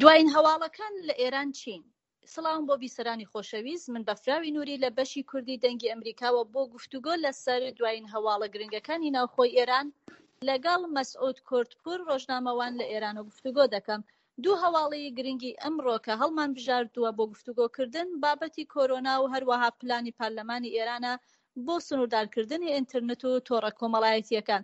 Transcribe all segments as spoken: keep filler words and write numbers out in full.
دوایین هەواڵەکان لە ئێران چین؟ سڵاوم بۆ بیسەرانی خۆشەویست، من بەفراوی نوری لە بەشی کوردی دەنگی ئەمریکاوە بۆ گفتوگۆ لەسەر دوایین هەواڵە گرنگەکانی ناوخۆی ئێران لەگەڵ مەسعود کوردپور ڕۆژنامەوان لە ئێران و گفتوگۆ دەکەم. دوو هەواڵی گرنگی ئەمڕۆ کە هەڵمان بژاردووە بۆ گفتوگۆکردن بابەتی کۆرۆنا و هەروەها پلانی پەرلەمانی ئێرانە بۆ سنووردارکردنی ئینترنت و تۆڕە کۆمەڵایەتییەکان.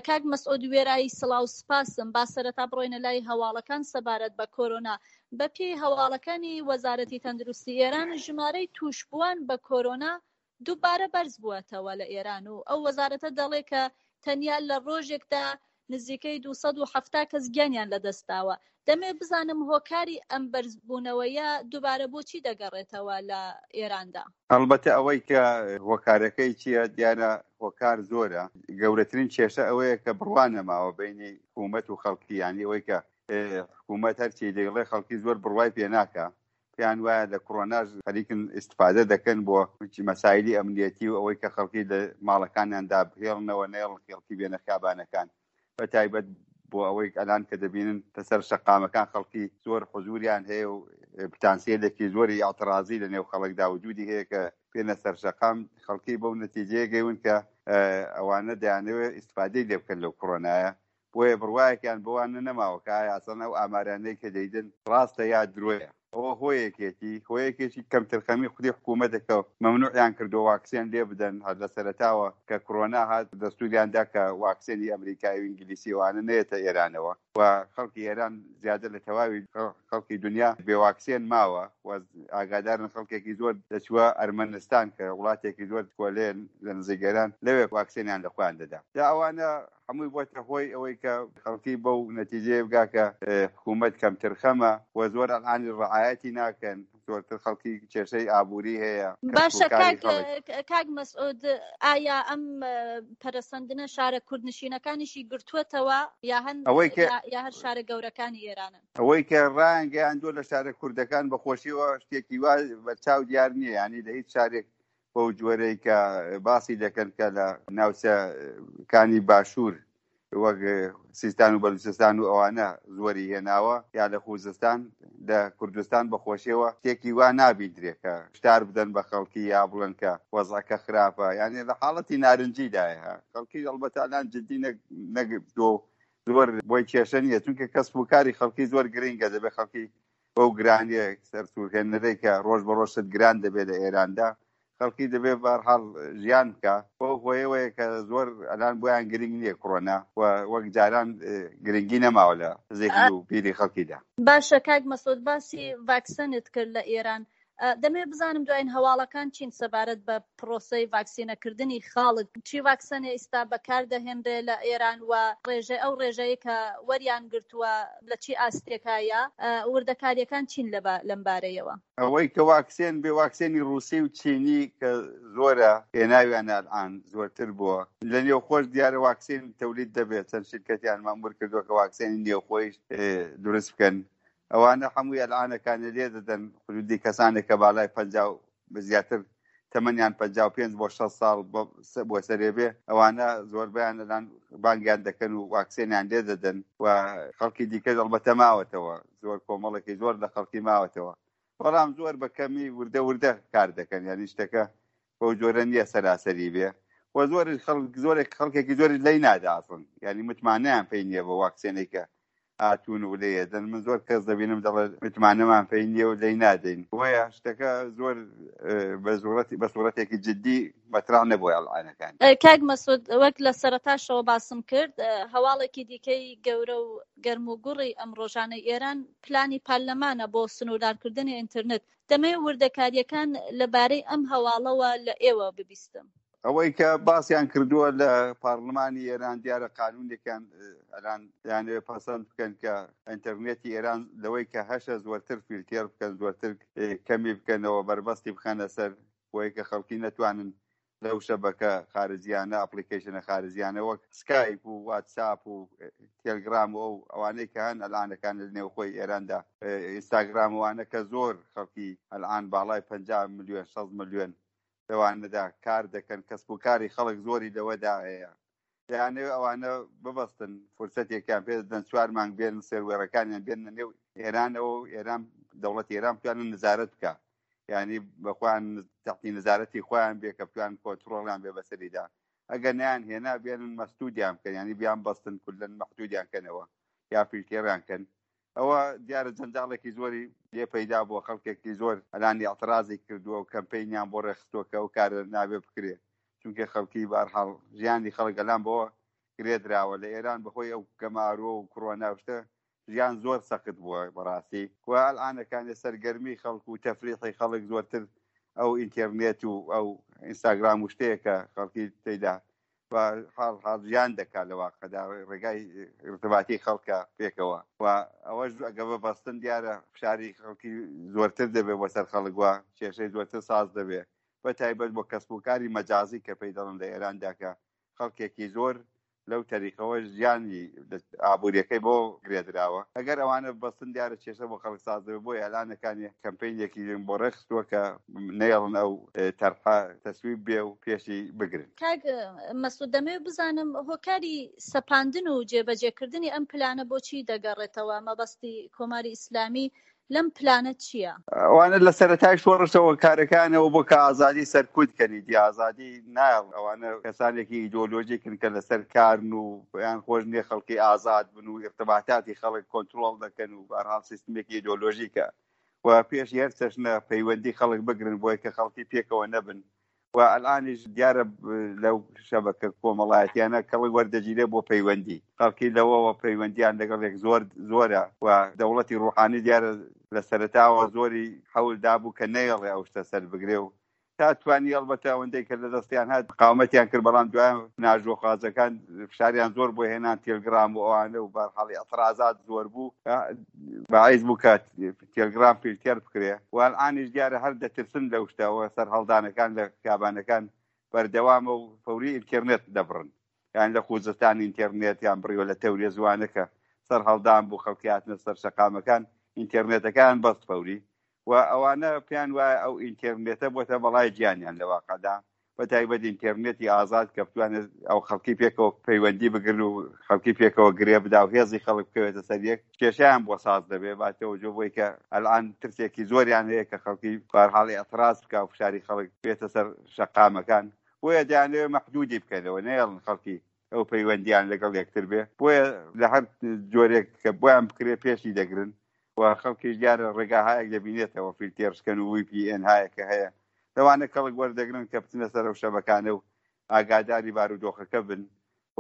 کاک مەسعود وێرایی سڵاو سپاسم، با سەرەتا بڕۆینە لای هەواڵەکان سەبارەت بە کۆرۆنا. بەپێی هەواڵەکانی وەزارەتی تەندروستی ئێران ژمارەی تووشبووان بە کۆرۆنا دووبارە بەرز بووەتەوە لە ئێران و ئەو وەزارەتە دەڵێ کە تەنیا لە ڕۆژێکدا نزیکەی دوو سەد و حەفتا کەس گیانیان لەدەستداوە. دەمەوێت بزانم هۆکاری ئەم بەرزبوونەوەیە دووبارە بۆچی دەگەڕێتەوە لە ئێراندا؟ ئەڵبەتە ئەوەی کە هۆکارەکەی چییە دیارە هۆکار زۆرە. گەورەترین کێشە ئەوەیە کە بڕوا نەماوە بینی حکوومەت و خەڵکی، یانی ئەوەی کە حکوومەت هەرچی دەیڵێ خەڵکی زۆر بڕوای پێ ناکا، پێیان وایە لە کۆرۆناش خەریکن ئیستفادە دەکەن بۆ مەسایلی ئەمنیەتی و ئەوەی کە خەڵکی لە ماڵەکانیاندا بهێڵنەوە، نەیڵن خەڵکی بێنە خیابانەکان، بە تایبەت بۆ ئەوەی ئەلان کە دەبینن لەسەر شەقامەکان خەڵکی زۆر حزوریان هەیە و پتانسیلێکی زۆری ئاعترازی لە نێو خەڵکدا وجودی هەیە کە بێنە سەر شەقام، خەڵکی بەو نەتیجەیە گەیون کە ئەوانە دەیانەوێت ئیستفادەی لێ بکەن لەو کۆرۆنایە. بۆیە بڕوایەکیان بەوانە نەماوە کە ئایا ئەسڵەن ئەو ئامارانەی کە دەیدن ڕاستە یا درۆیە. ئەوە هۆیەکێتی، هۆیەکێکی کەمترخەمی خودی حکوومەتە کە مەمنوعیان کردو واکسێن لێ بدەن. هەر لە سەرەتاوە کە کۆرۆنا هات دەستوریان دا کە واکسێنی ئەمریکایی و ئینگلیسی ئەوانە نەیەتە ئێرانەوە و خەڵکی ئێران زیادە لە تەواوی خەڵکی دنیا بێ واکسێن ماوە و ئاگادارن خەڵکێکی زۆر دەچووە ئەرمەنستان کە وڵاتێکی زۆر کۆلێن لە نزیک ئێران، لەوێ واکسێنیان لە خۆیان دەدا. جا ئەوانە هەمووی بۆتە هۆی ئەوەی کە خەڵکی بەو نەتیجەیە بگا کە حکوومەت کەمترخەمە و زۆر ئەلعانی ڕعایەتی ناکەن، زۆرتر خەڵکی کێشەی ئابووری هەیە. باشە کاک مەسعود، ئایا ئەم پەرەسەندنە شارە کوردنشینەکانیشی گرتووەتەوە یا هەن یا هەر شارە گەورەکانی ئێرانن؟ ئەوەی کە ڕایانگەیاندووە لە شارە کوردەکان بەخۆشیەوە شتێکی وا بەرچاو دیار نییە، یعنی لە هیچ شارێک بەو جۆرەی کە باسی دەکەن کە لە ناوچەکانی باشوور وەک سیستان و بەلوچستان و ئەوانە زۆری هێناوە یا لە خوزستان، لە کوردستان بەخۆشیەوە شتێکی وا نابیندرێ کە شتار بدەن بە خەڵکی یا بڵێن کە وەزعەکە خراپە، یعنی لە حاڵەتی نارنجیدایە. خەڵکی ئەڵبەتە الان جدی نەگرتووە و زۆر بۆی کێشە نییە، چونکە کەسب و کاری خەڵکی زۆر گرنگە. دەبێت خەڵکی بەو گرانیە سەرسوورهێنەرەی کە ڕۆژ بە ڕۆژ شت گران دەبێت لە ئێراندا، خەڵکی دەبێت بەهەرحاڵ ژیان بکە. بەو هۆیەوەیە کە زۆر ئەلان بۆیان گرنگ نییە کۆرۆنا و وەک جاران گرنگی نەماوە لە زێهن و بیری خەڵکیدا. باشە کاک مەسعود، باسی ڤاکسەنت کرد لە ئێران، دەمەوێت بزانم دوایین هەواڵەکان چین سەبارەت بە پرۆسەی ڤاکسینەکردنی خەڵک؟ چی ڤاکسەنێ ئیستا بەکار دەهێنرێ لە ئێران و ڕێژەی ئەو ڕێژەیە کە وەریان گرتووە لە چی ئاستێکایە؟ وردەکاریەکان چین لەم بارەیەوە؟ ئەوەی کە واکسێن بێ، واکسێنی ڕووسی و چینی کە زۆرە هێناویانە ئەلعان زۆرتر بووە. لە نێوخۆش دیارە واکسێن تەولید دەبێت، چەند شرکەتیان مەمور کردووە کە واکسێنی نێوخۆیش دروست بکەن. ئەوانە هەمووی ئەلعانەکانە لێ دەدەن حدودی کەسانێک کە بالای پەنجا و زیاتر تەمەنیان پەنجا و پێنج بۆ شەست ساڵ بۆ سەرێ بێ، ئەوانە زۆربەیان ئەلان بانگیان دەکەن و واکسێنیان لێ دەدەن و خەڵکی دیکە ئەڵبەتە ماوەتەوە، زۆر کۆمەڵێکی زۆر لە خەڵکی ماوەتەوە، بەڵام زۆر بە کەمی وردە وردە کار دەکەن، یعنی شتەکە بەو جۆرە نییە سەراسەری بێ و زۆر خەڵک، زۆرێک خەڵکێکی زۆری لێی نادا ئەسڵن، یعنی متمانەیان پێی نییە بە واکسێنێک کە هاتوون و لێ دەن. من زۆر کەس دەبینم دەڵێ متمانەمان پێی نییە و لێی نادەین. بۆیە شتەکە زۆر بە سوورەتێکی جدی مەترا نەبووە ئەلعانەکان. کاک مەسعود، وەک لە سەرەتاشەوە باسم کرد، هەواڵێکی دیکەی گەورە و گەرم و گوڕی ئەم ڕۆژانەی ئێران پلانی پەرلەمانە بۆ سنووردارکردنی ئینتەرنێت. دەمەوێت وردەکاریەکان لەبارەی ئەم هەواڵەوە لە ئێوە ببیستم. ئەوەی کە باسیان کردووە لە پارلمانی ئێران، دیارە قانونێکیان ئەلان دەیانەوێت پەسەند بکەن کە ئینتەرنێتی ئێران لەوەی کە هەشە زۆرتر فیلتێر بکەن، زۆرتر کەمی بکەنەوە، بەربەستی بخەنە سەر بۆی کە خەڵکی نەتوانن لەو شەبەکە خارجیانە، ئەپلیکەیشنە خارجیانە وەک سکایپ و واتساپ و تێلگرام و ئەو ئەوانەی کە هەن ئەلانەکان لە نێوخۆی ئێراندا، ئینستاگرام وانە کە زۆر خەڵکی ئەلان باڵای پەنجا ملیۆن شەست ملیۆن لەوانەدا کار دەکەن، کەسب و کاری خەڵک زۆری لەوەدا هەیە. دەیانەوێت ئەوانە ببەستن، فرسەتێکیان پێ دەدەن چوار مانگ بێن سێروێڕەکانیان بێنە نێو ئێرانەوە و ئێران دەوڵەتی ئێران بتوانن نزارەت بکە، یعنی بە خۆیان تەحتی نزارەتی خۆیان بێ کە بتوان کۆنترۆڵیان بێ بەسەریدا. ئەگەر نیان هێنا بێنن مەسدودیان بکەن، یعنی بیان بەستن کلەن مەحدودیان کەنەوە یا فیلتێریان کەن. ئەوە دیارە جەنجاڵێکی زۆری لێ پەیدا بووە، خەڵکێکی زۆر ئەلانی اعترازی کردووە و کەمپەینیان بۆ ڕێکخستووە کە ئەو کارە نابێ بکرێ، چونکە خەڵکی بارحاڵ ژیانی خەڵک ئەلان بەوە گرێدراوە. لە ئێران بەخۆی ئەو گەمارۆ و کۆرۆنا شتە ژیان زۆر سەخت بووە بەڕاستی و ئەلئانەکانی سەرگەرمی خەڵک و تەفریحی خەڵک زۆرتر ئەو ئینتەرنێت و ئەو ئینستاگرام و شتەیە کە خەڵکی تێیدا و حاڵ حاڵ ژیان دەکات لە واقعدا ڕێگای ارتباطی خەڵکە پێکەوە و ئەوەش ئەگە بەبەستن دیارە فشاری خەڵکی زۆرتر دەبێت بۆ سەر خەڵک وە کێشەی زۆرتر ساز دەبێت، بە تایبەت بۆ کەسب و کاری مەجازی کە پێی دەڵێن لە ئێراندا کە خەڵکێکی زۆر لەو تەریقەوە ژیانی ئابووریەکەی بۆ گرێدراوە. ئەگەر ئەوانە بەستن دیارە کێشە بۆ خەڵک ساز دەبێت. بۆیە ئەلانەکانی کەمپینێکی بۆ ڕێکخستووە کە نەیەڵن ئەو تەرحە تەسویب بێ و پێشی بگرن. کاک مەسعود، دەمەوێت بزانم هۆکاری سەپاندن و جێبەجێکردنی ئەم پلانە بۆچی دەگەڕێتەوە؟ مەبەستی کۆماری ئیسلامی لەم پلانە چییە؟ ئەوانە لە سەرەتای شۆڕشەوە کارەکانەوە بۆ کە ئازادی سەرکوت کەنی دی ئازادی نایڵ. ئەوانە کەسانێکی ئیدۆلۆژیکن کە لەسەر کارن و یان خۆش نییە خەڵکی ئازاد بن و ئیرتباطاتی خەڵک کۆنترۆڵ دەکەن و بەهەرحاڵ سیستمێکی ئیدۆلۆژیکە و پێشی هەر چەشنە پەیوەندی خەڵک بگرن بۆی کە خەڵکی پێکەوە نەبن. و ئەلانیش دیارە لەو شەبەکە کۆمەڵایەتیانە کەڵک وەردەگیرێ بۆ پەیوەندی خەڵکی، لەوەوە پەیوەندیان لەگەڵ یەک زۆر زۆرە و دەوڵەتی ڕوحانی دیارە لە سەرەتاوە زۆری حەول دابوو کە نەیەڵێ ئەو شتە سەر بگرێ و تا توانی ئەڵبەتە ئەوەندەی کە لە دەستیان هات قاومەتیان کرد، بەڵام دوای ناژۆخوازەکان فشاریان زۆر بۆ هێنان تێلگرام و ئەوانە و بەرحاڵی ئەترازات زۆر بوو، باعیز بوو کە تێلگرام فیلتێر بکرێ. و ئەلئانیش دیارە هەر دەترسن لەو شتەوە، سەرهەڵدانەکان لە خیابانەکان بەردەوامە و فەوری ئینتەرنێت دەبڕن، یان لە خوزستان ئینتەرنێتیان بڕیوە لە تەورێ زوانەکە سەرهەڵدان بوو خەڵکی هاتنە سەر شەقامەکان ئینتەرنێتەکان بەست فەوری. و ئەوانە پێیان وایە ئەو ئینتەرنێتە بۆتە بەڵای گیانیان لە واقعدا، بە تایبەت ئینتەرنێتی ئازاد کە بتوانێت ئەو خەڵکی پێکەوە پەیوەندی بگرن و خەڵکی پێکەوە گرێ بدا و هێزی خەڵک بکەوێتە سەر یەک، کێشەیان بۆ ساز دەبێ. باتەوە جۆ بۆی کە ئەلان ترسێکی زۆریان هەیە کە خەڵکی بارحاڵی ئەتراز بکا و فشاری خەڵک بێتە سەر شەقامەکان، بۆیە دەیانەوێت مەحدودی بکەنەوە، نەیەڵن خەڵکی ئەو پەیوەندیان لەگەڵ یەکتر بێ. بۆیە لە هەر جۆرێک کە بۆیان بکرێ پێشی دەگرن و خەڵکیش دیارە ڕێگاهایەک دەبینێتەوە، فیلتێرشکەن و وی پی ئێن هایەکە هەیە، لەوانە کەڵک وەردەگرن کە بچنە سەر ئەو شەبەکانە و ئاگاداری بارودۆخەکە بن.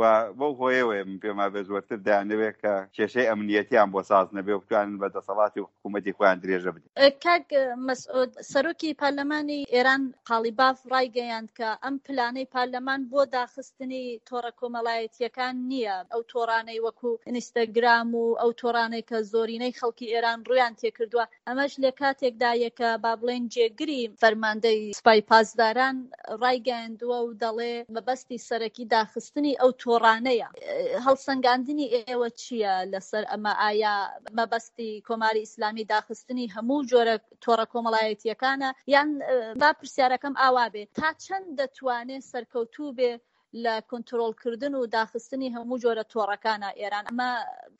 و بەو هۆیەوەیە من پێم وابێ زۆرتر دەیانەوێت کە کێشەی ئەمنیەتیان بۆ ساز نەبێ و بتوانن بە دەسەڵاتی و حکوومەتی خۆیان درێژە بدەن. کاک مەسعود، سەرۆکی پەرلەمانی ئێران قاڵیباف ڕایگەیاند کە ئەم پلانەی پەرلەمان بۆ داخستنی تۆڕە کۆمەڵایەتیەکان نییە، ئەو تۆڕانەی وەکو ئینستاگرام و ئەو تۆڕانەی کە زۆرینەی خەڵکی ئێران ڕویان تێکردووە. ئەمەش لە کاتێکدایە کە با بڵێن جێگری فەرماندەی سوپای پاسداران ڕایگەیاندووە و دەڵێ مەبەستی سەرەکی داخستنی ئەو تۆڕانەیە. هەڵسەنگاندنی ئێوە چییە لەسەر ئەمە؟ ئایا مەبەستی کۆماری ئیسلامی داخستنی هەموو جۆرە تۆڕە کۆمەڵایەتیەکانە؟ یان با پرسیارەکەم ئاوا بێ، تا چەند دەتوانێت سەرکەوتوو بێ لە کۆنترۆڵکردن و داخستنی هەموو جۆرە تۆڕەکانە ئێران؟ ئەمە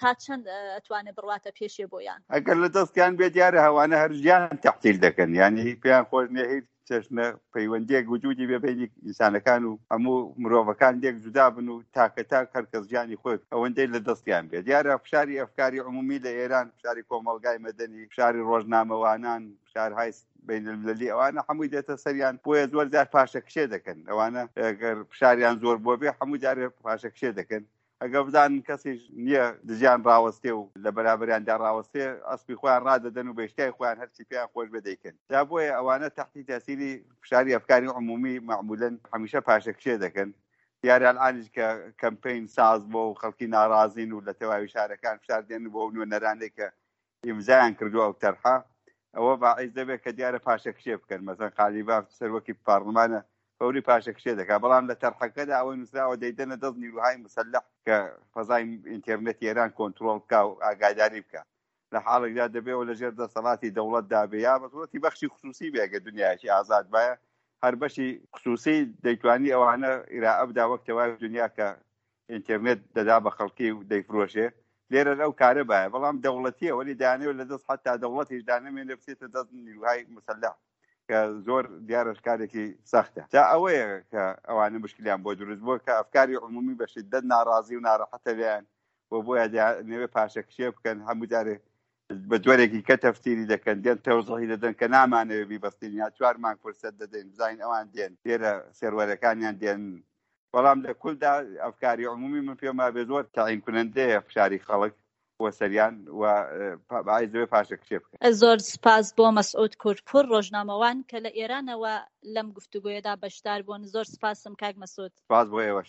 تا چەند ئەتوانێت بڕواتە پێشێ بۆیان؟ ئەگەر لە دەستیان بێ دیارە هەوانە هەر ژیان تەحتیل دەکەن، یعنی پێیان خۆش نییە هیچ چەشنە پەیوەندیەک وجودی بێ بینی ئینسانەکان و هەموو مرۆڤەکان لێک جودا بن و تاکە تاک هەر کەس ژیانی خۆی ئەوەندەی لە دەستیان بێ. دیارە فشاری ئەفکاری عمومی لە ئێران، فشاری کۆمەڵگای مەدەنی، فشاری ڕۆژنامەوانان، فشارهای بین المللی، ئەوانە هەمووی دێتە سەریان، بۆیە زۆر جار پاشەکشێ دەکەن. ئەوانە ئەگەر فشاریان زۆر بۆ بێ هەموو جارێ پاشەکشێ دەکەن. ئەگەر بزانن کەسیش نییە دژیان ڕاوەستێ و لە بەرابەریاندا ڕاوەستێ، ئەسپی خۆیان ڕادەدەن و بەشتای خۆیان هەرچی پێیان خۆش بێ دەیکەن. جا بۆیە ئەوانە تەحتی تەسیری فشاری ئەفکاری عمومی معمولاً هەمیشە پاشەکشێ دەکەن. دیارە ئەلئانیش کە کەمپەین ساز بۆ و خەڵکی ناڕازین و لە تەواوی شارەکان فشار دێن بۆ نوێنەرانێک کە ئیمزایان کردووە ئەو تەرحە، ئەوە باعیز دەبێت کە دیارە پاشەکشێ بکەن. مەسەن قالیباف سەرۆکی پارلمانە فەوری پاشەکشێ دەکات، بەڵام لە تەرحەکەدا ئەوەی نووسراوە دەیدەنە دەست نیروهای مسەلح کە فەزای ئینتەرنێتی ئێران کۆنترۆڵ بکا و ئاگاداری بکا. لە حاڵێکدا دەبێەوە لەژێر دەسەڵاتی دەوڵەتدا بێ یا بە صورەتی بەخشی خصوصی بێ. ئەگەر دنیایەکی ئازاد باە هەر بەشی خصوصی دەیتوانی ئەوانە ئیرائە بدا وەک تەواوی دنیا کە ئینتەرنێت دەدا بە خەڵکی و دەیفرۆشێ، لێرە ئەو کارە بایە بەڵام دەوڵەتیە وەلی دانەوە لە دەست حتا دەوڵەتیش دانەمێنێ بچێتە دەست نیروهای مسلح کە زۆر دیارەش کارێکی سەختە. جا ئەوەیە کە ئەوانە مشکلیان بۆ دروست بووە کە ئەفکاری عمومی بە شدەت ناڕازی و ناڕەحەتە لێیان و بۆیە دەیانەوێ پاشەکشێ بکەن، هەموو جارێ بە جۆرێکی کە تەفسیری دەکەن، دێن تەوزیحی دەدەن کە نامانەوێ بیبەستین یا چوار مانگ فرسەت دەدەین بزانین ئەوان دێن لێرە سێروەرەکانیان دێن، بەڵام لە کولدا ئەفکاری عمومی من پێم وابێ زۆر تەعین کنەندەیە فشاری خەڵک بۆ سەریان و باعیس دەبێ پاشەکشێ بکەن. زۆر سپاس بۆ مەسعود کوردپوور ڕۆژنامەوان کە لە ئێرانەوە لەم گفتوگۆیەدا بەشدار بوون. زۆر سپاسم کاک مەسعود. سپاس بۆ ئێوەش.